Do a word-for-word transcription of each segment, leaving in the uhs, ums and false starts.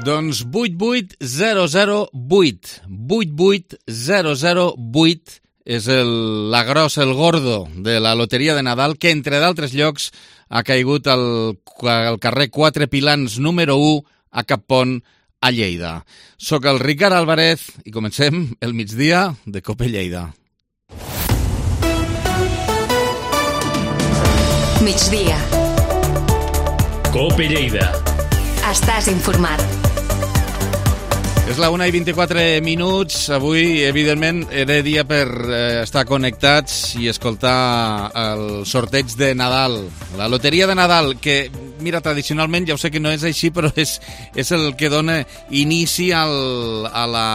Doncs vuit vuit zero zero vuit. vuit vuit zero zero vuit és el, la grossa, el gordo de la loteria de Nadal, que entre d'altres llocs ha caigut al, al carrer Quatre Pilans número u a Cappont, a Lleida. Soc el Ricard Álvarez i comencem el migdia de Cope Lleida. Migdia. Cope Lleida. Estàs informat. És la una i vint-i-quatre minuts. Avui, evidentment, era dia per eh, estar connectats i escoltar el sorteig de Nadal. La loteria de Nadal, que, mira, tradicionalment, ja ho sé que no és així, però és, és el que dona inici al, a la,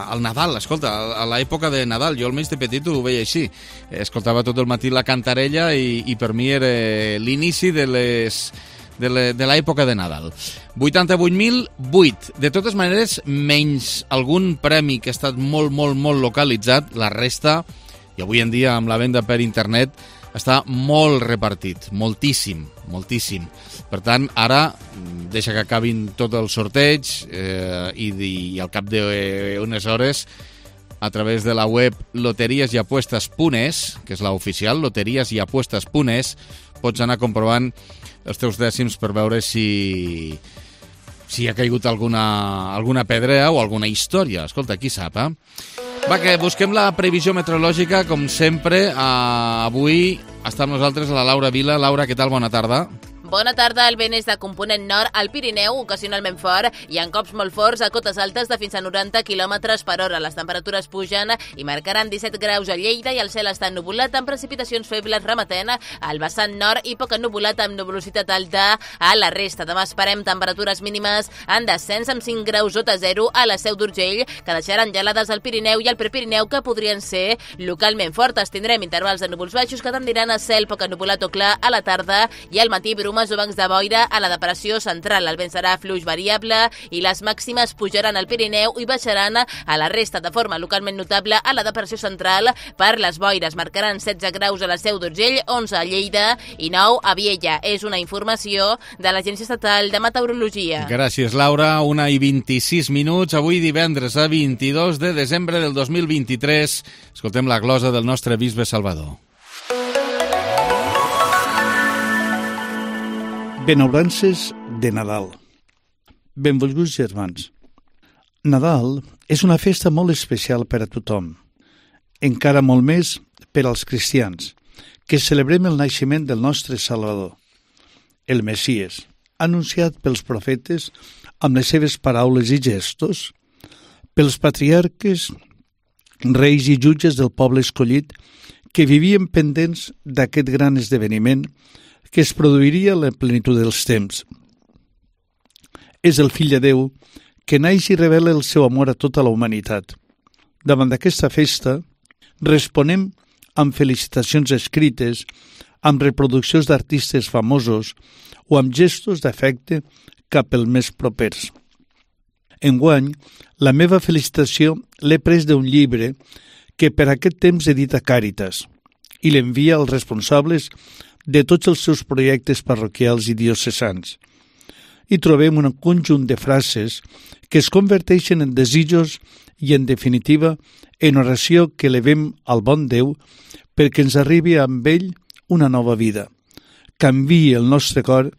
al Nadal. Escolta, a l'època de Nadal. Jo almenys de petit ho veia així. Escoltava tot el matí la cantarella i, i per mi era l'inici de les... de l'època de Nadal. vuitanta-vuit mil vuit. De totes maneres, menys algun premi que ha estat molt, molt, molt localitzat, la resta, i avui en dia amb la venda per internet, està molt repartit, moltíssim, moltíssim. Per tant, ara, deixa que acabin tot el sorteig eh, i, i al cap d'unes hores, a través de la web loteries i apuestes punt es, que és la oficial, loteries i apuestes punt es, pots anar comprovant els teus dècims per veure si si ha caigut alguna, alguna pedrea o alguna història. Escolta, qui sap, eh? Va, que busquem la previsió meteorològica, com sempre. Eh, avui està amb nosaltres la Laura Vila. Laura, què tal? Bona tarda. Bona tarda, el vent és de component nord al Pirineu, ocasionalment fort, i en cops molt forts a cotes altes de fins a noranta quilòmetres per hora. Les temperatures pugen i marcaran disset graus a Lleida i el cel està ennuvolat amb precipitacions febles remetent al vessant nord i poc ennuvolat amb nuvolositat alta a la resta. Demà esperem temperatures mínimes en descens amb cinc graus sota zero a la Seu d'Urgell, que deixaran gelades al Pirineu i al Prepirineu, que podrien ser localment fortes. Tindrem intervals de núvols baixos que tendiran a cel poc ennuvolat o clar a la tarda i al matí brumes o bancs de boira a la depressió central. El vent serà fluix variable i les màximes pujaran al Pirineu i baixaran a la resta de forma localment notable a la depressió central per les boires. Marcaran setze graus a la Seu d'Urgell, onze a Lleida i nou a Viella. És una informació de l'Agència Estatal de Meteorologia. Gràcies, Laura. Una i vint-i-sis minuts. Avui divendres a vint-i-dos de desembre del dos mil vint-i-tres. Escoltem la glosa del nostre bisbe Salvador. Benaurances de Nadal. Benvolguts germans. Nadal és una festa molt especial per a tothom, encara molt més per als cristians, que celebrem el naixement del nostre Salvador, el Messies, anunciat pels profetes amb les seves paraules i gestos, pels patriarques, reis i jutges del poble escollit que vivien pendents d'aquest gran esdeveniment que es produiria a la plenitud dels temps. És el Fill de Déu que naix i revela el seu amor a tota la humanitat. Davant d'aquesta festa, responem amb felicitacions escrites, amb reproduccions d'artistes famosos o amb gestos d'afecte cap als més propers. Enguany, la meva felicitació l'he pres d'un llibre que per aquest temps edita Càritas i l'envia als responsables de tots els seus projectes parroquials i diocesans. Hi trobem un conjunt de frases que es converteixen en desitjos i, en definitiva, en oració que elevem al bon Déu perquè ens arribi amb ell una nova vida, canviï el nostre cor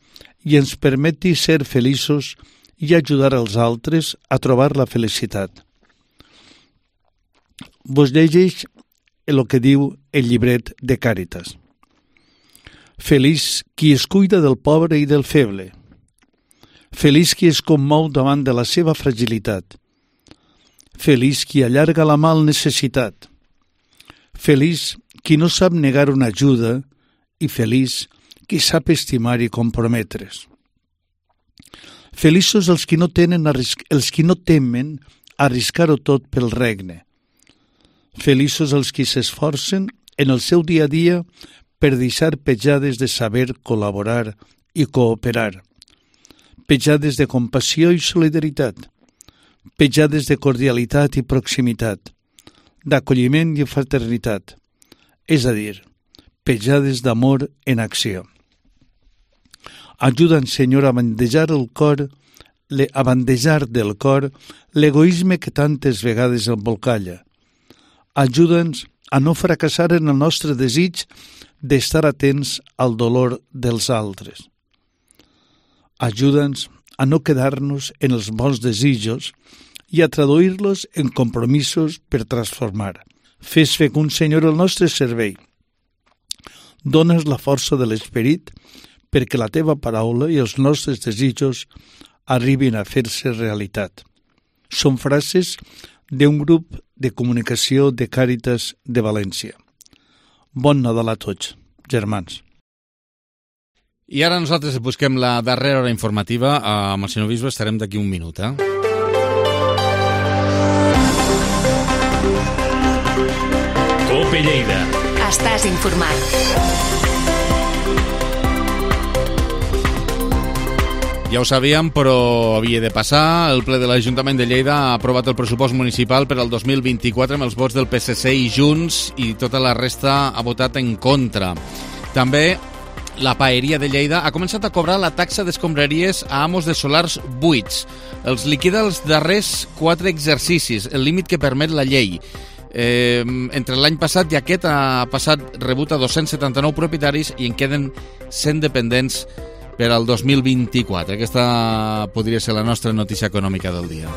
i ens permeti ser feliços i ajudar els altres a trobar la felicitat. Vos llegeix el que diu el llibret de Càritas. Feliç qui es cuida del pobre i del feble. Feliç qui es commou davant de la seva fragilitat. Feliç qui allarga la mà al necessitat. Feliç qui no sap negar una ajuda i feliç qui sap estimar i comprometre's. Feliços els qui no tenen arrisc... els qui no temen arriscar-ho tot pel regne. Feliços els qui s'esforcen en el seu dia a dia per deixar petjades de saber col·laborar i cooperar, petjades de compassió i solidaritat, petjades de cordialitat i proximitat, d'acolliment i fraternitat, és a dir, petjades d'amor en acció. Ajuda'ns, Senyor, a bandejar el cor le, a bandejar del cor l'egoisme que tantes vegades embolcalla. Ajuda'ns a no fracassar en el nostre desig d'estar atents al dolor dels altres. Ajuda'ns a no quedar-nos en els bons desitjos i a traduir-los en compromisos per transformar. Fes fecund, Senyor, el nostre servei. Dones la força de l'esperit perquè la teva paraula i els nostres desitjos arribin a fer-se realitat. Són frases d'un grup de comunicació de Càritas de València. Bon Nadal a tots, germans. I ara nosaltres busquem la darrera hora informativa. Amb el senyor Bisbe estarem d'aquí un minut, eh? Cope Lleida. Estàs informat. Ja ho sabíem, però havia de passar. El ple de l'Ajuntament de Lleida ha aprovat el pressupost municipal per al dos mil vint-i-quatre amb els vots del P S C i Junts, i tota la resta ha votat en contra. També la Paeria de Lleida ha començat a cobrar la taxa d'escombraries a amos de solars buits. Els liquida els darrers quatre exercicis, el límit que permet la llei. Eh, entre l'any passat i aquest ha passat rebut a dos-cents setanta-nou propietaris i en queden cent dependents per al dos mil vint-i-quatre. Aquesta podria ser la nostra notícia econòmica del dia.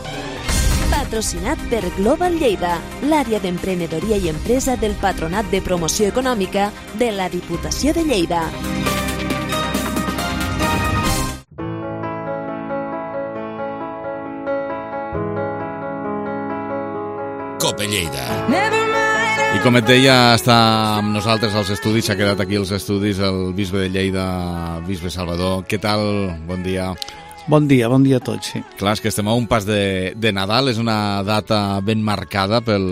Patrocinat per Global Lleida, l'àrea d'emprenedoria i empresa del Patronat de Promoció Econòmica de la Diputació de Lleida. Cope Lleida. I com et deia, està amb nosaltres als estudis, s'ha quedat aquí als estudis el bisbe de Lleida, bisbe Salvador. Què tal? Bon dia. Bon dia, bon dia a tots, sí. Clar, és que estem a un pas de, de Nadal, és una data ben marcada pel,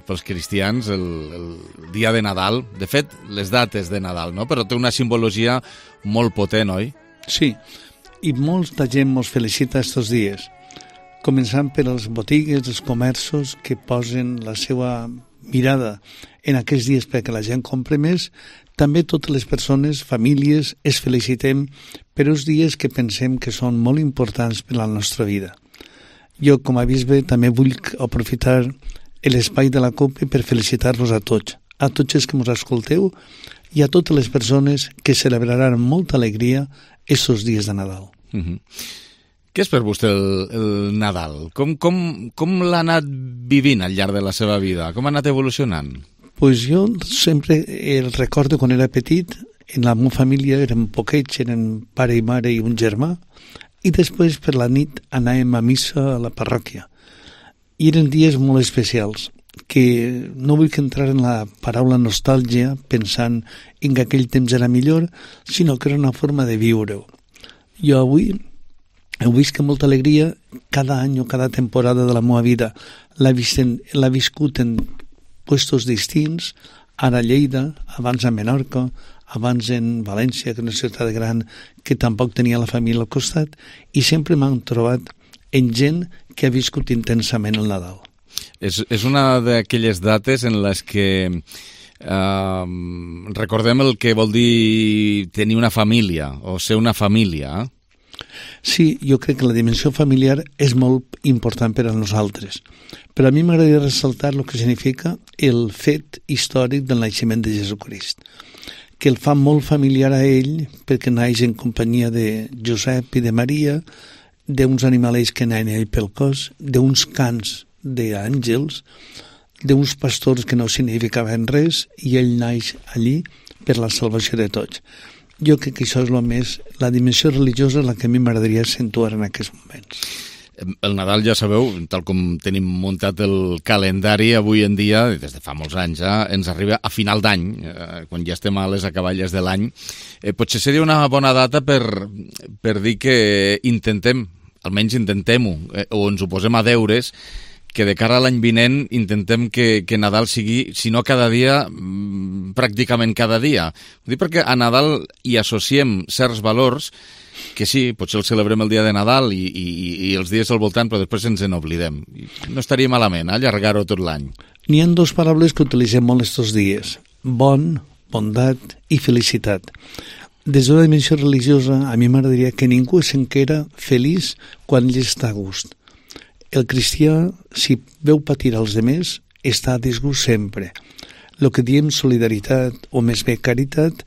pels cristians, el, el dia de Nadal. De fet, les dates de Nadal, no? Però té una simbologia molt potent, oi? Sí, i molta gent mos felicita estos dies, començant per les botigues, els comerços que posen la seva mirada en aquests dies perquè la gent compre més. També totes les persones, famílies, es felicitem per uns dies que pensem que són molt importants per a la nostra vida. Jo, com a bisbe, també vull aprofitar l'espai de la COPE per felicitar-vos a tots, a tots els que ens escolteu i a totes les persones que celebraran amb molta alegria aquests dies de Nadal. Mm-hmm. Què és per vostè el, el Nadal? Com, com, com l'ha anat vivint al llarg de la seva vida? Com ha anat evolucionant? Pues jo sempre el recordo quan era petit, en la meva família érem poquets, eren pare i mare i un germà, i després per la nit anàvem a missa a la parròquia. I eren dies molt especials, que no vull que entrar en la paraula nostàlgia pensant en que aquell temps era millor, sinó que era una forma de viure-ho. Jo avui heu vist que molta alegria cada any o cada temporada de la meva vida l'ha viscut en puestos distints, ara a Lleida, abans a Menorca, abans en València, que és una ciutat gran que tampoc tenia la família al costat, i sempre m'han trobat en gent que ha viscut intensament el Nadal. És, és una d'aquelles dates en les que eh, recordem el que vol dir tenir una família o ser una família, eh? Sí, jo crec que la dimensió familiar és molt important per a nosaltres, però a mi m'agradaria ressaltar el que significa el fet històric del naixement de Jesucrist, que el fa molt familiar a ell perquè naix en companyia de Josep i de Maria, d'uns animalets que anaven ell pel cos, d'uns cants d'àngels, d'uns pastors que no significaven res, i ell naix allí per la salvació de tots. Jo crec que això és el més, la dimensió religiosa és la que a mi m'agradaria accentuar en aquests moments. El Nadal, ja sabeu, tal com tenim muntat el calendari avui en dia, des de fa molts anys, eh, ens arriba a final d'any, eh, quan ja estem a les acaballes de l'any. Eh, potser seria una bona data per, per dir que intentem, almenys intentem-ho, eh, o ens ho posem a deures, que de cara a l'any vinent intentem que, que Nadal sigui, si no cada dia, pràcticament cada dia. Ho dic perquè a Nadal hi associem certs valors que sí, potser el celebrem el dia de Nadal i, i, i els dies al voltant, però després ens en oblidem. No estaria malament, eh, allargar-ho tot l'any. N'hi ha dues paraules que utilitzem molt estos dies: bon, bondat i felicitat. Des d'una dimensió religiosa, a mi m'agradaria que ningú s'enquera feliç quan ell està a gust. El cristià, si veu patir els demés, està a disgust sempre. El que diem solidaritat, o més bé caritat,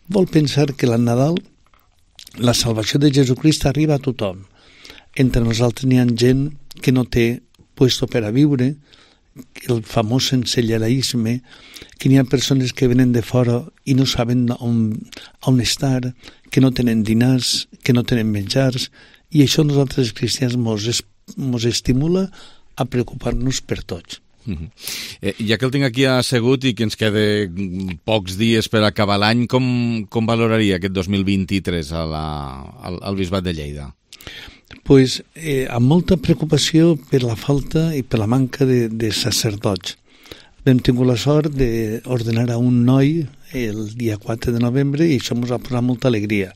vol pensar que al Nadal la salvació de Jesucrist arriba a tothom. Entre nosaltres n'hi ha gent que no té puesto per a viure, el famós sensellarisme, que n'hi ha persones que venen de fora i no saben on, on estar, que no tenen dinars, que no tenen menjars, i això nosaltres els cristians mos, es, mos estimula a preocupar-nos per tots. Uh-huh. Eh, ja que el tinc aquí assegut i que ens queda pocs dies per acabar l'any, com, com valoraria aquest dos mil vint-i-tres a la, al, al Bisbat de Lleida? Pues, eh, amb molta preocupació per la falta i per la manca de, de sacerdots. Vam tingut la sort d'ordenar a un noi el dia quatre de novembre i això ens ha posat molta alegria.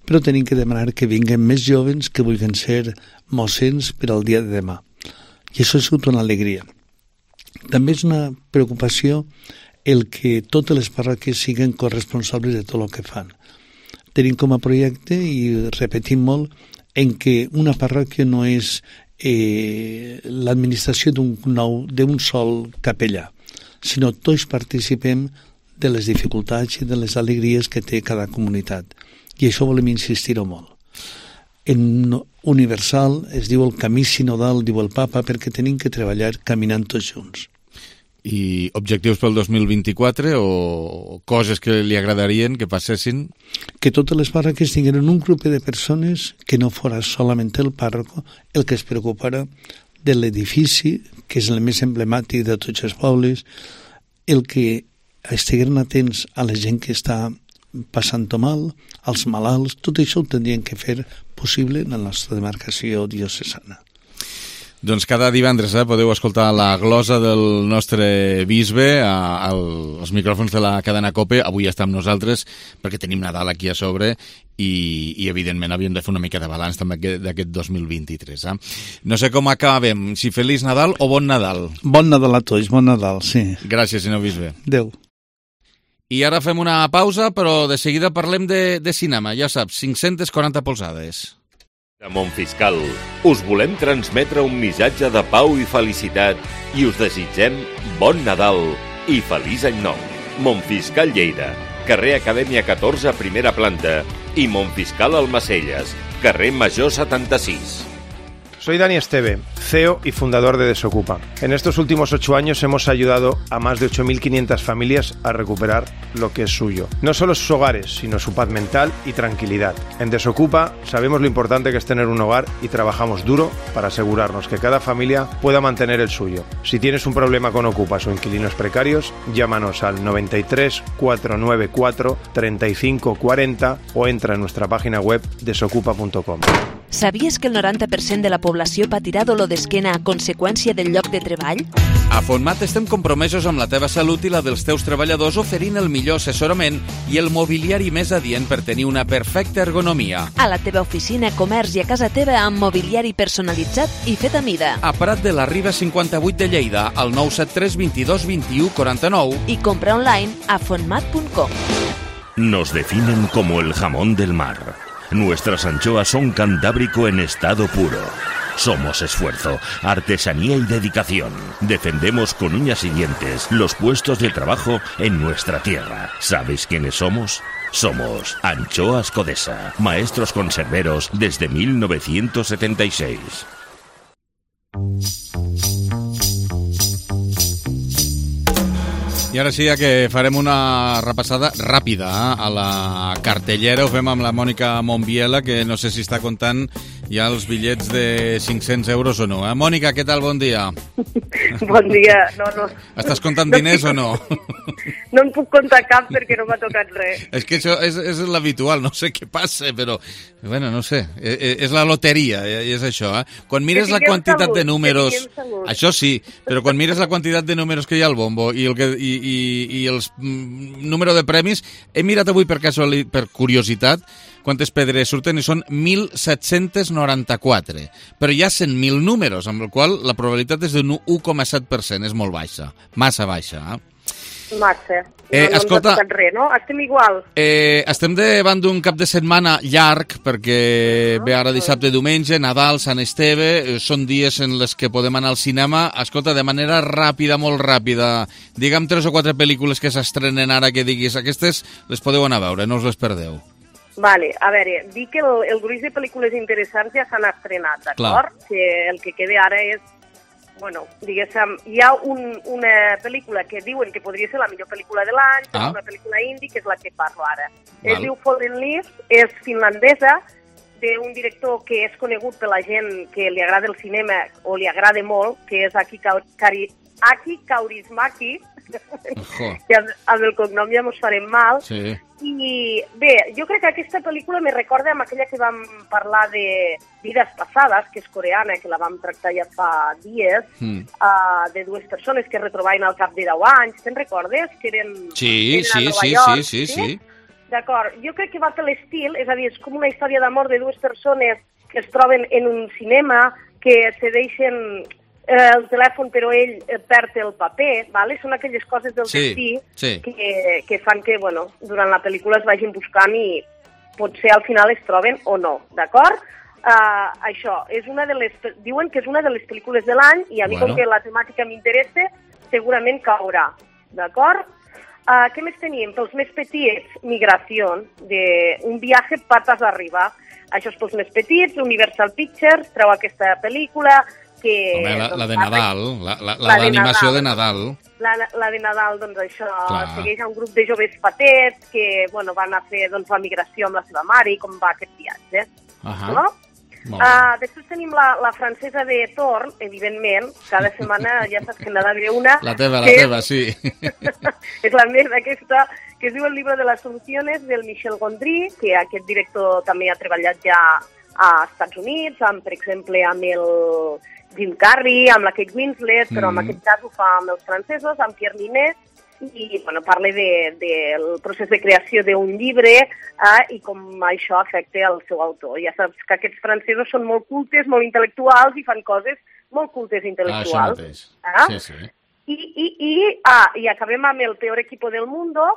Però tenim que demanar que vinguen més jovens que vulguin ser mossens per al dia de demà. I això ha sigut una alegria. També és una preocupació el que totes les parròquies siguin corresponsables de tot el que fan. Tenim com a projecte, i repetim molt, en què una parròquia no és eh, l'administració d'un nou, d'un sol capellà, sinó tots participem de les dificultats i de les alegries que té cada comunitat. I això volem insistir-ho molt. En universal es diu el camí sinodal, diu el papa, perquè tenim que treballar caminant tots junts. I objectius pel dos mil vint-i-quatre o coses que li agradarien que passessin? Que totes les parròquies tingueren un grup de persones que no fora solament el pàrroco el que es preocupara de l'edifici, que és el més emblemàtic de tots els pobles, el que estigueren atents a la gent que està passant-ho mal, als malalts, tot això ho tindrien que fer possible en la nostra demarcació diocesana. Doncs cada divendres eh, podeu escoltar la glosa del nostre bisbe a, a, als micròfons de la cadena COPE. Avui està amb nosaltres perquè tenim Nadal aquí a sobre i, i evidentment havíem de fer una mica de balanç també d'aquest dos mil vint-i-tres. Eh? No sé com acabem, si Feliç Nadal o Bon Nadal. Bon Nadal a tots, bon Nadal, sí. Gràcies, senyor bisbe. Adéu. I ara fem una pausa, però de seguida parlem de, de cinema. Ja saps, cinc-centes quaranta polzades. A Montfiscal us volem transmetre un missatge de pau i felicitat i us desitgem bon Nadal i feliç any nou. Montfiscal Lleida, carrer Acadèmia catorze, primera planta, i Montfiscal Almacelles, carrer Major setanta-sis. Soy Dani Esteve, C E O y fundador de Desocupa. En estos últimos ocho años hemos ayudado a más de ocho mil quinientas familias a recuperar lo que es suyo. No solo sus hogares, sino su paz mental y tranquilidad. En Desocupa sabemos lo importante que es tener un hogar y trabajamos duro para asegurarnos que cada familia pueda mantener el suyo. Si tienes un problema con ocupas o inquilinos precarios, llámanos al noventa y tres, cuatrocientos noventa y cuatro, treinta y cinco cuarenta o entra en nuestra página web desocupa punto com. Sabies que el noranta per cent de la població patirà dolor d'esquena a conseqüència del lloc de treball? A Fontmat estem compromesos amb la teva salut i la dels teus treballadors, oferint el millor assessorament i el mobiliari més adient per tenir una perfecta ergonomia. A la teva oficina, comerç i a casa teva amb mobiliari personalitzat i fet a mida. A Prat de la Riba cinquanta-vuit de Lleida, al nou set tres, vint-i-dos, vint-i-u, quaranta-nou. I compra online a fontmat punt com. Nos definen como el jamón del mar. Nuestras anchoas son cantábrico en estado puro. Somos esfuerzo, artesanía y dedicación. Defendemos con uñas y dientes los puestos de trabajo en nuestra tierra. ¿Sabes quiénes somos? Somos Anchoas Codesa, maestros conserveros desde mil novecientos setenta y seis. I ara sí que farem una repassada ràpida eh, a la cartellera. Ho fem amb la Mònica Montbiela, que no sé si està comptant ja els bitllets de cinc-cents euros o no. Eh? Mònica, què tal? Bon dia. Bon dia. No, no. Estàs comptant diners o no? No em puc comptar cap perquè no m'ha tocat res. És que això és, és l'habitual, no sé què passa, però, bueno, no sé, és la loteria, és això, eh? Quan mires la quantitat salut, de números... Això sí, però quan mires la quantitat de números que hi ha al bombo i, el que, i, i, i els mm, número de premis, he mirat avui per, casual, per curiositat quantes pedres surten i són mil set-cents noranta-quatre, però hi ha cent mil números, amb el qual la probabilitat és d'un u coma set per cent, és molt baixa, massa baixa, eh? Massa. Eh, no, no escolta... ens ha tocat res, no? Estem igual. Eh, estem davant d'un cap de setmana llarg, perquè ve ara dissabte i diumenge, Nadal, Sant Esteve, eh, són dies en les que podem anar al cinema. Escolta, de manera ràpida, molt ràpida, digue'm tres o quatre pel·lícules que s'estrenen ara que diguis, aquestes les podeu anar a veure, no us les perdeu. Vale, a veure, dic que el, el gruix de pel·lícules interessants ja s'han estrenat, d'acord? Que el que queda ara és, bueno, diguéssim, hi ha un, una pel·lícula que diuen que podria ser la millor pel·lícula de l'any, ah. és una pel·lícula indie, que és la que parlo ara. Val. Es diu Fallen Leaves, és finlandesa, d'un director que és conegut per la gent que li agrada el cinema o li agrada molt, que és Aki, Kari, Aki Kaurismäki, que amb, amb el cognom ja mos farem mal. Sí. I bé, jo crec que aquesta pel·lícula me recorda amb aquella que vam parlar de Vides passades, que és coreana, que la vam tractar ja fa dies, mm. uh, de dues persones que es retrobaven al cap de deu anys. Te'n recordes? Que eren, sí, eren sí, a Nova sí, York, sí, sí, sí. D'acord, jo crec que va fer l'estil, és a dir, és com una història d'amor de dues persones que es troben en un cinema, que se deixen eh, el telèfon però ell perd el paper, ¿vale? Són aquelles coses del sí, destí sí. Que, que fan que, bueno, durant la pel·lícula es vagin buscant i potser al final es troben o no, d'acord? Uh, això, és una de les, diuen que és una de les pel·lícules de l'any i a mi bueno. Com que la temàtica m'interessa, segurament caurà, d'acord? Uh, què més tenim? Pels més petits, Migració, de un viatge patas arriba. Això és pels més petits, Universal Pictures treu aquesta pel·lícula que... Home, la, la de Nadal, la, la, la, la d'animació de Nadal. La, la de Nadal, doncs això, clar. Segueix a un grup de joves patets que, bueno, van a fer doncs, la migració amb la seva mare i com va aquest viatge. Uh -huh. No? Uh, després tenim la, la francesa de Thor, evidentment, cada setmana ja saps que n'ha d'haver una... La teva, la que... teva, sí. És la meva aquesta, que es diu El libro de las soluciones, del Michel Gondry, que aquest director també ha treballat ja als Estats Units, amb, per exemple, amb el Jim Carrey, amb la Kate Winslet, però mm. en aquest cas ho fa amb els francesos, amb Pierre Niney, i bueno, parla del de, de procés de creació d'un llibre eh, i com això afecta el seu autor. Ja saps que aquests francesos són molt cultes, molt intel·lectuals i fan coses molt cultes intel·lectuals. Ah, això mateix. Eh? Sí, sí. I, i, i, ah, i acabem amb El peor equipo del mundo,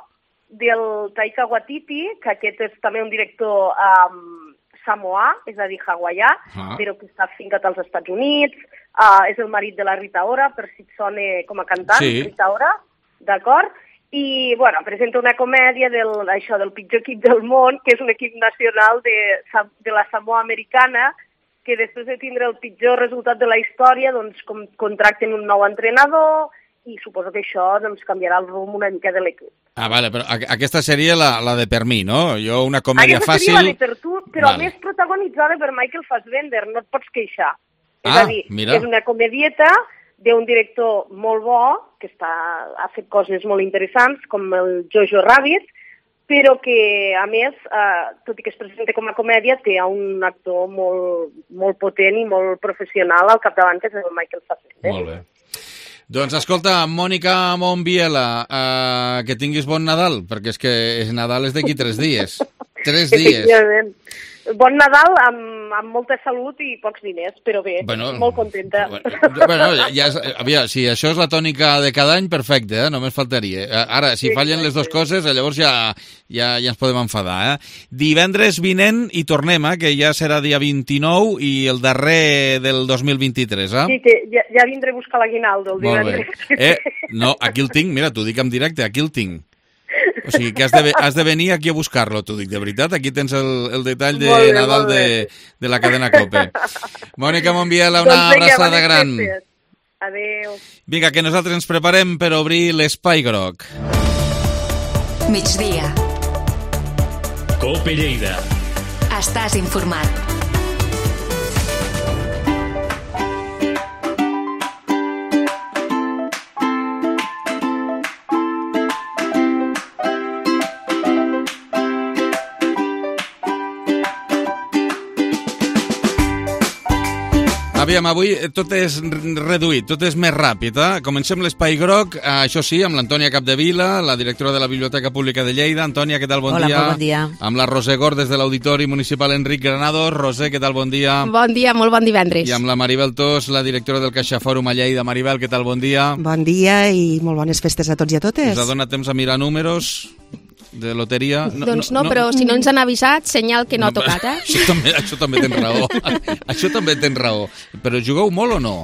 del Taika Waititi, que aquest és també un director um, samoà, és a dir, hawaià, ah. però que està fincat als Estats Units, uh, és el marit de la Rita Ora, per si et sona com a cantant, sí. Rita Ora, d'acord? I, bueno, presenta una comèdia del, això, del pitjor equip del món, que és un equip nacional de, de la Samoa americana, que després de tindre el pitjor resultat de la història, doncs com, contracten un nou entrenador i suposo que això doncs, canviarà el rumb una mica de l'equip. Ah, vale, però aquesta seria la, la de per mi, no? Jo una comèdia aquesta fàcil... Aquesta seria la de per tu, però vale. Més protagonitzada per Michael Fassbender, no et pots queixar. Ah, és a dir, mira. És una comedieta d'un director molt bo, que està, ha fet coses molt interessants, com el Jojo Rabbit, però que, a més, eh, tot i que es presenta com a comèdia, té un actor molt, molt potent i molt professional al capdavant, que és el Michael Fassbender. Molt bé. Doncs escolta, Mònica Montbiela, eh, que tinguis bon Nadal, perquè és que Nadal és d'aquí tres dies. Tres dies. Efectivament. Bon Nadal amb, amb molta salut i pocs diners, però bé, bueno, molt contenta. Bueno, ja, aviam, si això és la tònica de cada any, perfecte, eh? Només faltaria. Ara, si sí, fallen les dues coses, llavors ja, ja, ja ens podem enfadar. Eh? Divendres vinent hi tornem, eh? Que ja serà dia vint-i-nou i el darrer del dos mil vint-i-tres. Eh? Sí, que ja, ja vindré a buscar l'aguinaldo el divendres. Eh, no, aquí el tinc, mira, t'ho dic en directe, aquí el tinc. O sigui, que has de, has de venir aquí a buscar-lo, t'ho dic de veritat. Aquí tens el, el detall de bé, Nadal de, de la cadena COPE. Mònica Montbiela, una doncs vinga, abraçada gran. Adéu. Vinga, que nosaltres ens preparem per obrir l'Espai Groc. Migdia. COPE Lleida. Estàs informat. Aviam, avui tot és reduït, tot és més ràpid. Eh? Comencem l'Espai Groc, eh, això sí, amb l'Antònia Capdevila, la directora de la Biblioteca Pública de Lleida. Antònia, què tal? Bon Hola, dia. molt bon dia. Amb la Roser Gor, des de l'Auditori Municipal Enric Granados. Roser, què tal? Bon dia. Bon dia, molt bon divendres. I amb la Maribel Tos, la directora del Caixa Fòrum a Lleida. Maribel, què tal? Bon dia. Bon dia i molt bones festes a tots i a totes. Us ha donat temps a mirar números de loteria? No, doncs no, no, però si no ens han avisat, senyal que no, no ha tocat, eh? Això també, això també tens raó. Això també tens raó. Però jugueu molt o no?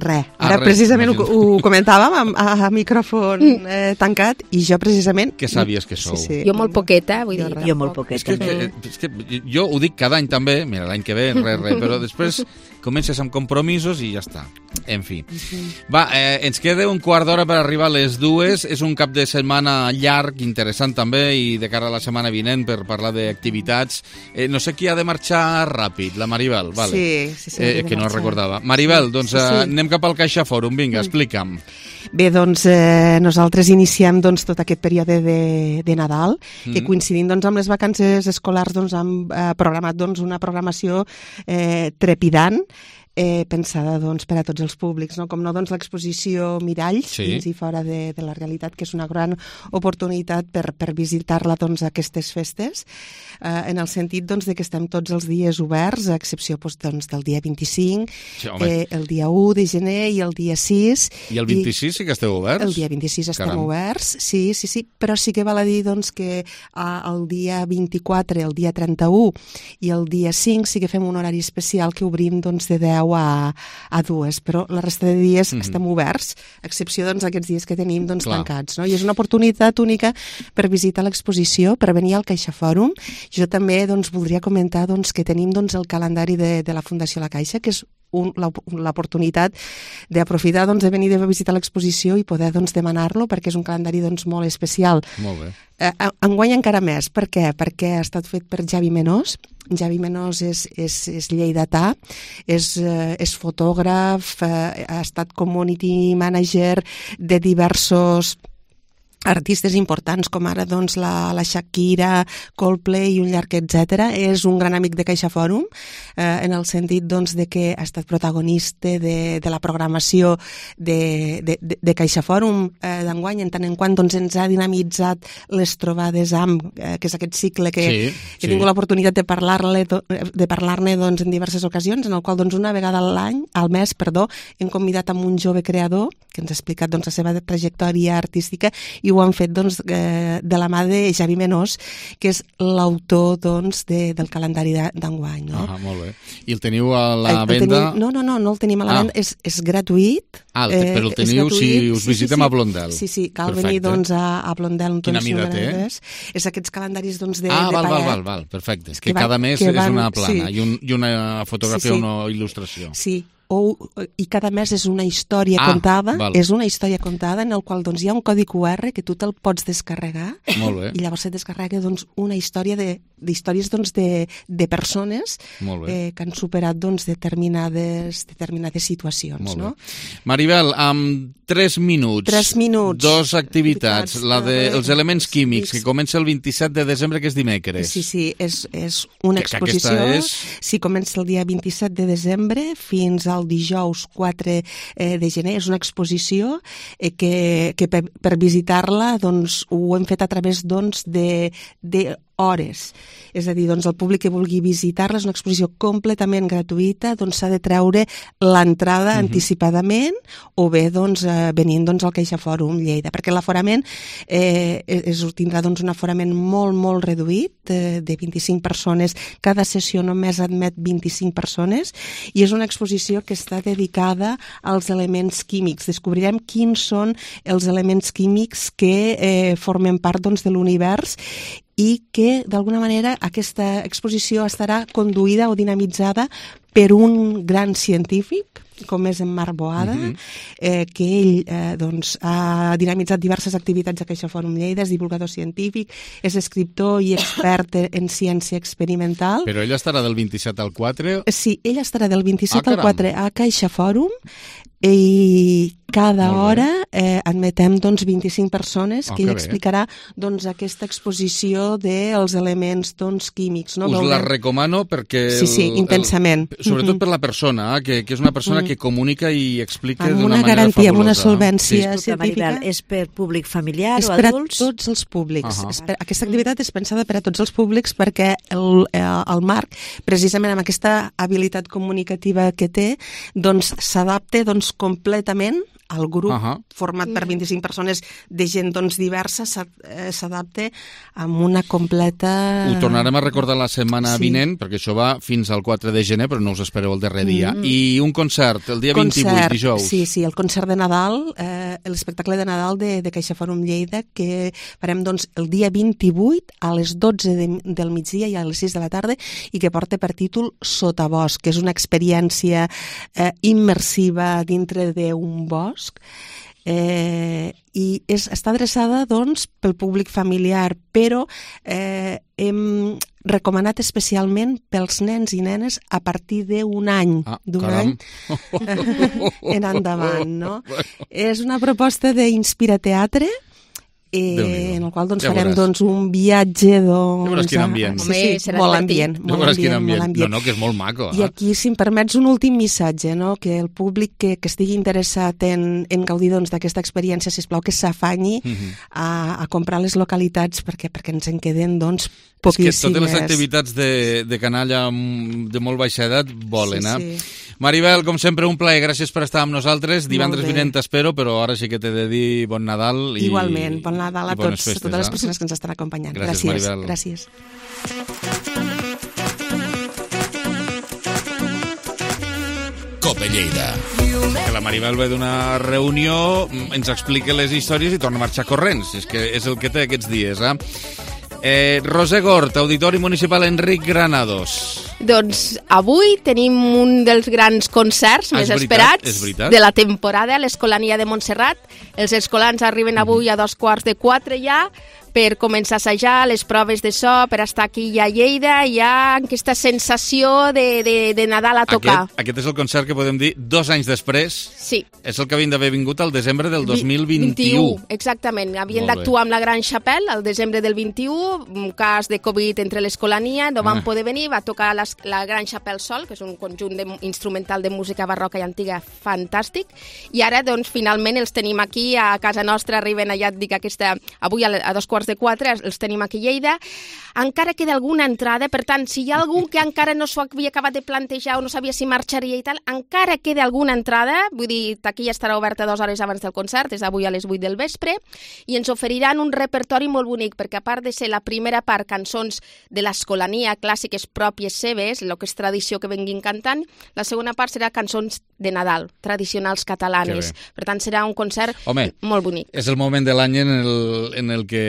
Res. Ara Ah, res, precisament ho, imagino. ho comentàvem a, a micròfon eh, tancat i jo precisament... Que sàvies que sou. Sí, sí. Jo molt poqueta, vull dir. Jo molt poquet. És que, que, és que jo ho dic cada any també, mira, l'any que ve, res, res, però després comences amb compromisos i ja està. En fi. Va, eh, ens queda un quart d'hora per arribar a les dues. És un cap de setmana llarg, interessant també, i de cara a la setmana vinent per parlar d'activitats. Eh, no sé qui ha de marxar ràpid, la Maribel, vale. Sí, sí, sí, Eh, que no recordava. Maribel, doncs Sí, sí. eh, anem cap al Caixa Fòrum. Vinga, explica'm. Bé, doncs eh, nosaltres iniciem doncs, tot aquest període de, de Nadal, mm. que coincidint doncs, amb les vacances escolars doncs, hem eh, programat doncs, una programació eh, trepidant, eh, pensada doncs, per a tots els públics, no? Com no, doncs, l'exposició Miralls, Sí. dins i fora de, de la realitat, que és una gran oportunitat per, per visitar-la doncs, aquestes festes, eh, en el sentit doncs, de que estem tots els dies oberts, a excepció doncs, doncs, del dia vint-i-cinc, Sí, home. eh, el dia u de gener i el dia sis. I el vint-i-sis sí que esteu oberts? El dia vint-i-sis estem Caram. oberts, sí, sí, sí, però sí que val a dir doncs, que ah, el dia vint-i-quatre, el dia trenta-u i el dia cinc sí que fem un horari especial que obrim doncs, de deu a, a dues, però la resta de dies Mhm. estem oberts, a excepció doncs, aquests dies que tenim doncs, Clar. tancats. No? I és una oportunitat única per visitar l'exposició, per venir al Caixa Fòrum. Jo també doncs, voldria comentar doncs, que tenim doncs, el calendari de, de la Fundació La Caixa, que és un, l'op- l'oportunitat d'aprofitar doncs, de venir a visitar l'exposició i poder doncs, demanar-lo, perquè és un calendari doncs, molt especial. Molt bé. Eh, enguany encara més. Per què? Perquè ha estat fet per Javi Menós. Javi Menós és, és, és lleidatà, és, eh, és fotògraf, eh, ha estat community manager de diversos artistes importants com ara doncs, la, la Shakira, Coldplay i un llarg etcètera. És un gran amic de Caixa Fòrum, eh, en el sentit doncs, de que ha estat protagonista de, de la programació de, de, de, de Caixa Fòrum eh, d'enguany, en tant en quant doncs, ens ha dinamitzat les trobades amb, eh, que és aquest cicle que Sí, he sí. tingut l'oportunitat de parlar-ne de parlar-ne doncs, en diverses ocasions, en el qual doncs, una vegada a l'any, al mes, perdó, hem convidat amb un jove creador que ens ha explicat doncs, la seva trajectòria artística i ho han fet doncs, eh, de la mà de Javi Menós, que és l'autor doncs, de, del calendari de- d'enguany. No? Ah, molt bé. I el teniu a la El- el venda? Tenim, no, no, no, no el tenim a la Ah. venda, és, és gratuït. Ah, el te- però el és teniu si gratuït. us visitem a Blondel. Sí, sí, cal Perfecte. venir doncs, a, a Blondel. un Quina túnel mida número té? tres. És aquests calendaris doncs, de, Ah, de val, val, paller. val, val, perfecte. És que, Que van- cada mes que és van- una plana sí. i, un, i una fotografia Sí, sí. o una il·lustració. Sí, o, i cada mes és una història Ah, contada, val. és una història contada en el qual doncs, hi ha un codi Q R que tu te'l pots descarregar Molt bé. i llavors et descarrega doncs, una història de, d'històries doncs, de, de persones Molt bé. eh, que han superat doncs, determinades, determinades situacions. Molt bé. No? Maribel, amb tres minuts. Tres minuts. Dos activitats. Activitats, La dels eh, els elements químics, sí. que comença el vint-i-set de desembre, que és dimecres. Sí, sí, és, és una Que- que exposició. aquesta és- Sí, comença el dia vint-i-set de desembre fins al dijous quatre eh, de gener. És una exposició eh, que, que per, per visitar-la doncs, ho hem fet a través doncs, de, de hores. És a dir, doncs, el públic que vulgui visitar-la és una exposició completament gratuïta, doncs s'ha de treure l'entrada Mhm. anticipadament o bé doncs, eh, venint doncs, al Caixa Fòrum Lleida, perquè l'aforament eh, és, tindrà doncs, un aforament molt, molt reduït, eh, de vint-i-cinc persones. Cada sessió només admet vint-i-cinc persones i és una exposició que està dedicada als elements químics. Descobrirem quins són els elements químics que eh, formen part doncs, de l'univers i que, d'alguna manera, aquesta exposició estarà conduïda o dinamitzada per un gran científic, com és en Marc Boada, Mhm. eh, que ell eh, doncs, ha dinamitzat diverses activitats a Caixa Fòrum Lleida, és divulgador científic, és escriptor i expert en ciència experimental. Però ella estarà del vint-i-set al quatre. Sí, ell estarà del vint-i-set Ah, al caram. quatre a Caixa Fòrum i cada Molt bé. hora eh, admetem doncs, vint-i-cinc persones Ah, que ell que bé. explicarà doncs, aquesta exposició dels elements doncs, químics. No? Us la Veurem- recomano perquè... Sí, sí, el- intensament. sobretot per la persona, eh, que, que és una persona que comunica i explica d'una manera fabulosa. Amb una garantia, amb una solvència sí. científica. És per públic familiar és o per adults? És per a tots els públics. Uh -huh. és per, aquesta activitat és pensada per a tots els públics perquè el, el Marc, precisament amb aquesta habilitat comunicativa que té, doncs s'adapta doncs, completament el grup, uh -huh. format per vint-i-cinc persones de gent doncs, diversa, s'adapta amb una completa... Ho tornarem a recordar la setmana sí. vinent, perquè això va fins al quatre de gener, però no us espereu el darrer dia. Mm. I un concert, el dia concert, vint-i-vuit, dijous. Sí, sí, el concert de Nadal, eh, l'espectacle de Nadal de, de Caixa Fòrum Lleida, que farem doncs, el dia vint-i-vuit a les dotze de, del migdia i a les sis de la tarda, i que porta per títol Sotabosc, que és una experiència eh, immersiva dintre d'un bosc, Eh, i és, està adreçada doncs, pel públic familiar, però eh, hem recomanat especialment pels nens i nenes a partir d'un any, ah, d'un caram. any en endavant. No? És una proposta d'Inspirateatre, Eh, en el qual doncs, ja farem doncs, un viatge doncs, ja veuràs quin ambient. sí, sí, molt ambient, molt ambient, molt ambient. No, no, que és molt maco. I eh? aquí, si em permets, un últim missatge, no? Que el públic que, que estigui interessat en, en gaudir doncs, d'aquesta experiència, sisplau, que s'afanyi uh -huh. a, a comprar les localitats perquè perquè ens en queden doncs, poquíssimes. És que totes les activitats de, de canalla de molt baixa edat volen, sí, eh? Sí. Maribel, com sempre, un plaer, gràcies per estar amb nosaltres. Divendres vinent t'espero, però ara sí que t'he de dir bon Nadal. I, Igualment, bon Nadal a, tots, festes, a totes les eh? persones que ens estan acompanyant. Gràcies, Gràcies. Maribel. Gràcies. Cope Lleida. Que la Maribel ve d'una reunió, ens explica les històries i torna a marxar corrents. És que és el que té aquests dies, eh? Eh, Roser Gort, Auditori Municipal Enric Granados. Doncs avui tenim un dels grans concerts ah, més veritat, esperats de la temporada, l'Escolania de Montserrat. Els escolans arriben avui a dos quarts de quatre ja, per començar a assajar les proves de so, per estar aquí ja a Lleida, hi ha aquesta sensació de, de, de Nadal a tocar. Aquest, aquest és el concert que podem dir dos anys després. Sí. És el que havien d'haver vingut al desembre del dos mil vint-i-u. Exactament. Havien d'actuar amb la Gran Chapelle al desembre del vint-i-u, un cas de Covid entre l'Escolania, no van ah. poder venir, va tocar la, la Gran Chapelle sol, que és un conjunt de, instrumental de música barroca i antiga fantàstic, i ara, doncs, finalment els tenim aquí a casa nostra, arriben allà, et dic, aquesta, avui a, a dos quarts de quatre, els tenim aquí a Lleida. Encara queda alguna entrada, per tant, si hi ha algú que encara no s'ho havia acabat de plantejar o no sabia si marxaria i tal, encara queda alguna entrada, vull dir, aquí ja estarà oberta dues hores abans del concert, és avui a les vuit del vespre, i ens oferiran un repertori molt bonic, perquè a part de ser la primera part cançons de l'Escolania, clàssiques pròpies seves, el que és tradició que venguin cantant, la segona part serà cançons de Nadal, tradicionals catalanes. Per tant, serà un concert Home, molt bonic. És el moment de l'any en, el, en el que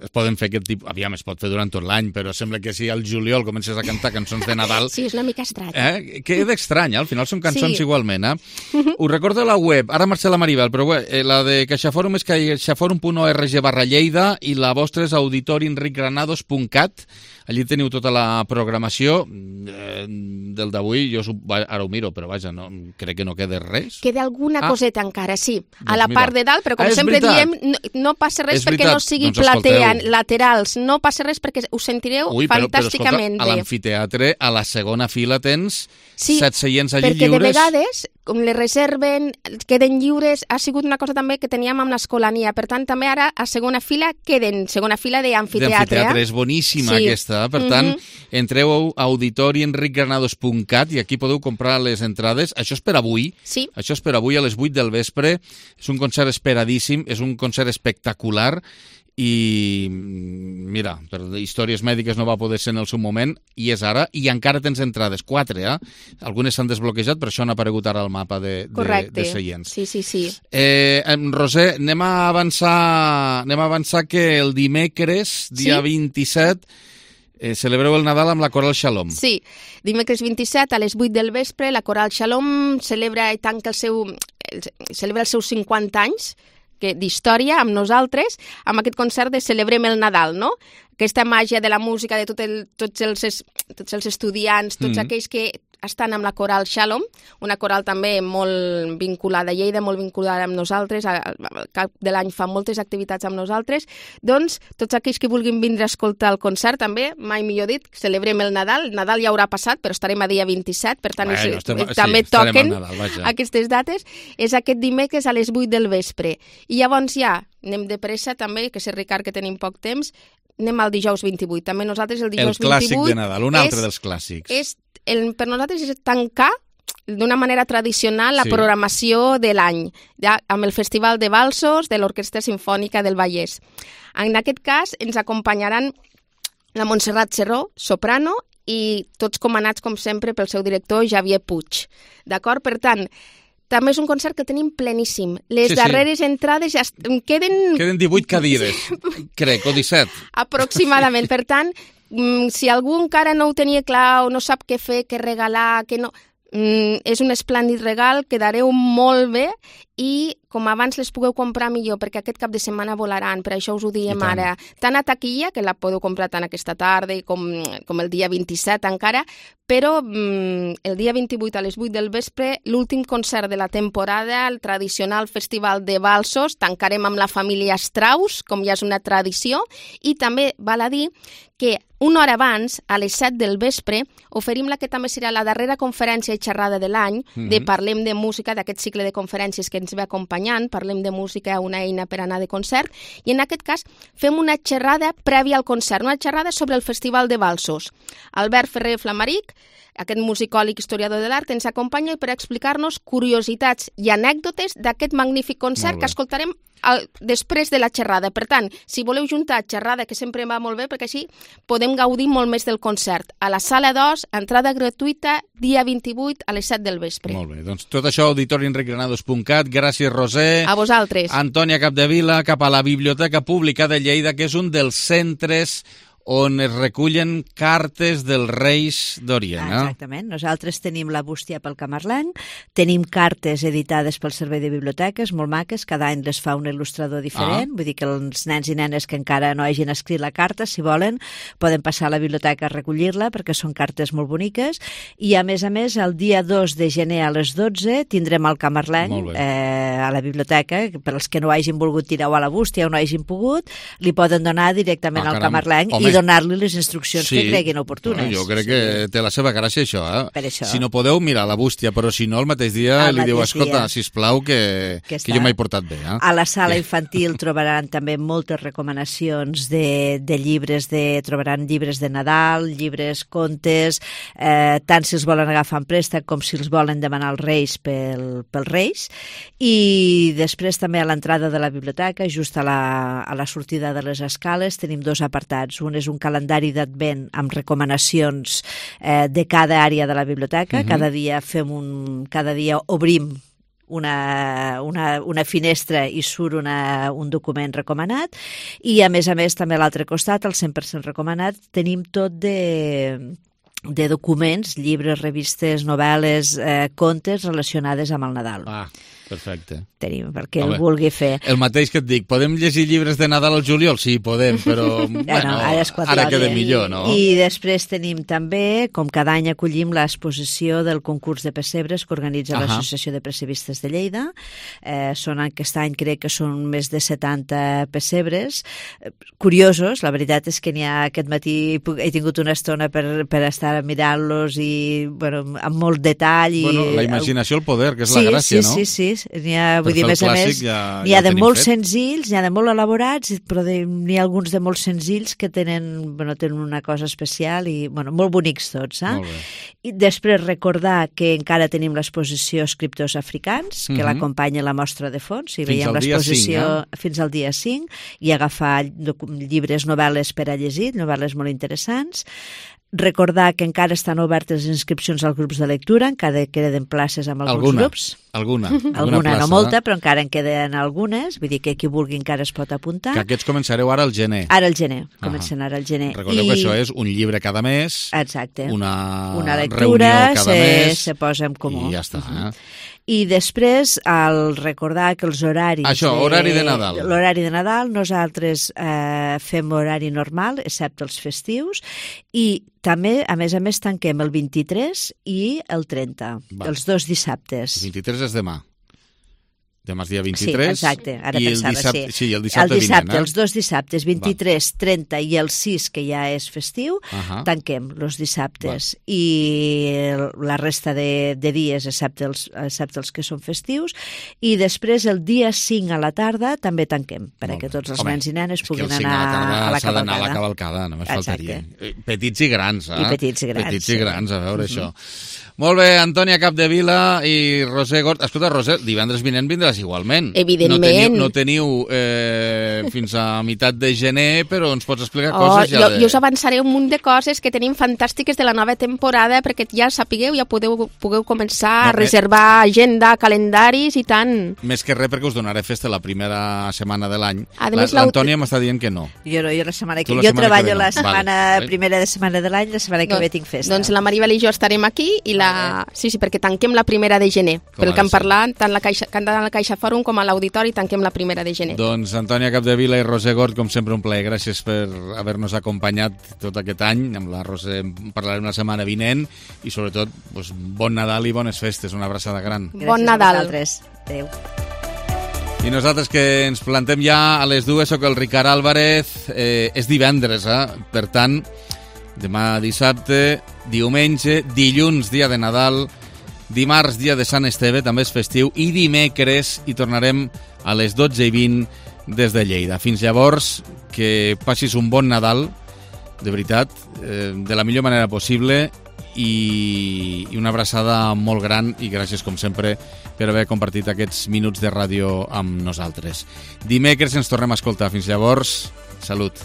es poden fer aquest tipus... Aviam, es pot fer durant tot l'any, però sembla que si al juliol comences a cantar cançons de Nadal... Sí, és una mica estrany. Eh? Queda estrany, eh? Al final són cançons sí. igualment, eh? Uh-huh. Us recordo la web, ara marxa la Maribel, però bé, eh, la de CaixaForum és caixaforum punt org barra Lleida i la vostra és auditori enric granados punt cat. Allí teniu tota la programació eh, del d'avui. Jo ara ho miro, però vaja, no, crec que no queda res. Queda alguna ah. coseta encara, sí, a doncs la mira. part de dalt, però com ah, sempre diem, no, no passa res és perquè veritat. no sigui doncs platea, escolteu. laterals, no passa res perquè us sentireu Ui, però, fantàsticament però, escolta, bé. A l'amfiteatre, a la segona fila tens sí, set seients allí perquè lliures. De vegades, com les reserven, queden lliures, ha sigut una cosa també que teníem amb l'Escolania, per tant també ara a segona fila queden, segona fila d'amfiteatre. D'amfiteatre, eh? és boníssima sí. aquesta, per tant, mm -hmm. entreu a auditori enric granados punt cat i aquí podeu comprar les entrades. Això és per avui, sí. això és per avui a les vuit del vespre, és un concert esperadíssim, és un concert espectacular i mira, per històries mèdiques no va poder ser en el seu moment i és ara, i encara tens entrades, quatre, eh? Algunes s'han desbloquejat, per això han aparegut ara al mapa de, de, de seients. Sí, sí, sí. Eh, Roser, anem a avançar anem a avançar que el dimecres, dia sí? vint-i-set, eh, celebreu el Nadal amb la Coral Shalom. Sí, dimecres vint-i-set a les vuit del vespre, la Coral Shalom celebra i tanca el seu, celebra els seus cinquanta anys d'història amb nosaltres, amb aquest concert de Celebrem el Nadal, no? Aquesta màgia de la música, de tot el, tots, els, tots els estudiants, tots mm. aquells que estan amb la coral Shalom, una coral també molt vinculada a Lleida, molt vinculada amb nosaltres, al cap de l'any fan moltes activitats amb nosaltres. Doncs tots aquells que vulguin vindre a escoltar el concert també, mai millor dit, celebrem el Nadal. El Nadal ja haurà passat, però estarem a dia vint-i-set, per tant bueno, estem, també sí, toquen Nadal, aquestes dates. És aquest dimecres a les vuit del vespre. I llavors ja anem de pressa també, que sé, Ricard, que tenim poc temps, anem al dijous vint-i-vuit. També nosaltres el dijous vint-i-vuit... El clàssic de Nadal, un altre és, dels clàssics. És, el, per nosaltres és tancar d'una manera tradicional la sí. programació de l'any, ja, amb el Festival de Valsos de l'Orquestra Simfònica del Vallès. En aquest cas ens acompanyaran la Montserrat Serró, soprano, i tots comandats, com sempre, pel seu director, Javier Puig. D'acord? Per tant, també és un concert que tenim pleníssim. Les sí, darreres sí. entrades ja queden... Queden divuit cadires, crec, o disset. Aproximadament. Per tant, si algú encara no ho tenia clar o no sap què fer, què regalar, què no... Mm, és un esplèndid regal, quedareu molt bé i com abans les pugueu comprar millor, perquè aquest cap de setmana volaran, per això us ho diem ara. Tant a taquilla, que la podeu comprar tant aquesta tarda com, com el dia vint-i-set encara, però mm, el dia vint-i-vuit a les vuit del vespre, l'últim concert de la temporada, el tradicional Festival de Valsos, tancarem amb la família Strauss, com ja és una tradició, i també val a dir que una hora abans, a les set del vespre, oferim la que també serà la darrera conferència i xerrada de l'any, mm-hmm. de Parlem de Música, d'aquest cicle de conferències que ens ve acompanyant, Parlem de Música, una eina per anar de concert, i en aquest cas fem una xerrada prèvia al concert, una xerrada sobre el Festival de Valsos. Albert Ferrer Flamaric, aquest musicòleg historiador de l'art, ens acompanya per explicar-nos curiositats i anècdotes d'aquest magnífic concert que escoltarem al, després de la xerrada. Per tant, si voleu juntar xerrada, que sempre va molt bé, perquè així podem gaudir molt més del concert. A la sala dos, entrada gratuïta, dia vint-i-vuit a les set del vespre. Molt bé, doncs tot això, auditori enric granados punt cat. Gràcies, Roser. A vosaltres. Antònia Capdevila, cap a la Biblioteca Pública de Lleida, que és un dels centres on es recullen cartes dels Reis d'Orient. Eh? Exactament. Nosaltres tenim la bústia pel Camarlenc, tenim cartes editades pel Servei de Biblioteques, molt maques, cada any les fa un il·lustrador diferent, ah. vull dir que els nens i nenes que encara no hagin escrit la carta, si volen, poden passar a la biblioteca a recollir-la, perquè són cartes molt boniques, i a més a més, el dia dos de gener a les dotze tindrem el Camarlenc eh, a la biblioteca, per als que no hagin volgut tirar-ho a la bústia o no hagin pogut, li poden donar directament ah, al Camarlenc i donar-li les instruccions sí. que creguin oportunes. No, jo crec que sí. té la seva gràcia això, eh? Per això. Si no podeu, mirar la bústia, però si no, el mateix dia el li diu, escolta, sisplau, que, que, que jo m'he portat bé. Eh? A la sala infantil trobaran també moltes recomanacions de, de llibres, de, trobaran llibres de Nadal, llibres, contes, eh, tant si els volen agafar en préstec com si els volen demanar als Reis pel, pels Reis. I després també a l'entrada de la biblioteca, just a la, a la sortida de les escales, tenim dos apartats. Un és un calendari d'advent amb recomanacions eh, de cada àrea de la biblioteca. Uh-huh. Cada dia fem un, cada dia obrim una, una, una finestra i surt una, un document recomanat, i a més a més també a l'altre costat, el cent per cent recomanat, tenim tot de de documents, llibres, revistes, novel·les, eh, contes relacionades amb el Nadal. Ah, perfecte. Tenim, perquè el vulgui fer. El mateix que et dic, podem llegir llibres de Nadal al juliol? Sí, podem, però bueno, no, ara, ara queda millor, no? I després tenim també, com cada any acollim l'exposició del concurs de pessebres que organitza uh-huh. l'Associació de Pessebistes de Lleida. Eh, són aquest any crec que són més de setanta pessebres. Curiosos, la veritat és que n'hi ha aquest matí, he tingut una estona per, per estar mirant-los i bueno, amb molt detall. I, bueno, la imaginació, el poder, que és sí, la gràcia, sí, no? Sí, sí, sí. N'hi ha, vull dir, més a més, ja, n'hi ha ja de molt fet. Senzills, n'hi ha de molt elaborats, però n'hi ha alguns de molt senzills que tenen, bueno, tenen una cosa especial i, bueno, molt bonics tots, eh? Molt bé. I després recordar que encara tenim l'exposició Escriptors Africans, que mm-hmm. l'acompanya la mostra de fons, i veiem l'exposició eh? fins al dia cinc, i agafar llibres, novel·les per a llegir, novel·les molt interessants. Recordar que encara estan obertes les inscripcions als grups de lectura, encara queden places amb alguns alguna, grups. Alguna, alguna, alguna plaça, no molta, però encara en queden algunes, vull dir que qui vulgui encara es pot apuntar. Que aquests començareu ara al gener. Ara al gener, comencen ara al gener. Recordeu I... que això és un llibre cada mes, exacte. Una, una lectura, reunió cada se, mes, se posa en comú. I ja està. Uh-huh. Eh? I després, al recordar que els horaris... Això, de, horari de Nadal. L'horari de Nadal, nosaltres eh, fem horari normal, excepte els festius, I també, a més a més, tanquem el vint-i-tres i el trenta, Va. els dos dissabtes. El vint-i-tres és demà. Demà és dia vint-i-tres. Sí, exacte, ara i pensava, el dissabte, sí. sí. el dissabte, el dissabte vinent, eh? Els dos dissabtes, vint-i-tres, trenta i el sis, que ja és festiu, uh-huh. tanquem els dissabtes. Va. I la resta de, de dies, excepte els, excepte els que són festius. I després, el dia cinc a la tarda, també tanquem, perquè tots els Home, nens i nenes puguin anar a, a la s'ha d'anar a la cavalcada. cavalcada, només faltaria. Petits i grans, eh? I petits i grans. Petits i grans, a veure sí. això. Molt bé, Antònia Capdevila i Roser Gort. Escolta, Roser, divendres vinent vindràs igualment. Evidentment. No teniu, no teniu eh, fins a meitat de gener, però ens pots explicar oh, coses ja jo, de... Jo us avançaré un munt de coses que tenim fantàstiques de la nova temporada, perquè ja sapigueu, ja podeu, pugueu començar no, a reservar eh... agenda, calendaris i tant. Més que res perquè us donaré festa la primera setmana de l'any. Més, L'Antònia m'està dient que no. Jo no, jo la setmana que... la Jo setmana treballo que la no. setmana vale. primera de setmana de l'any, la setmana que doncs, ve tinc festa. Doncs la Maribel i jo estarem aquí i la... Sí, sí, perquè tanquem la primera de gener. Com pel que hem parlat, tant la Caixa, tant la Caixa Fòrum com a l'Auditori, tanquem la primera de gener. Doncs Antònia Capdevila i Roser Gort, com sempre, un plaer. Gràcies per haver-nos acompanyat tot aquest any. Amb la Roser parlarem la setmana vinent i, sobretot, doncs, bon Nadal i bones festes. Una abraçada gran. Gràcies bon Nadal. Adéu. I nosaltres que ens plantem ja a les dues, soc el Ricard Álvarez. Eh, és divendres, eh? Per tant, demà dissabte, diumenge, dilluns, dia de Nadal, dimarts, dia de Sant Esteve, també és festiu, i dimecres hi tornarem a les dotze i vint des de Lleida. Fins llavors, que passis un bon Nadal, de veritat, eh, de la millor manera possible, i, i una abraçada molt gran, i gràcies, com sempre, per haver compartit aquests minuts de ràdio amb nosaltres. Dimecres ens tornem a escoltar. Fins llavors, salut.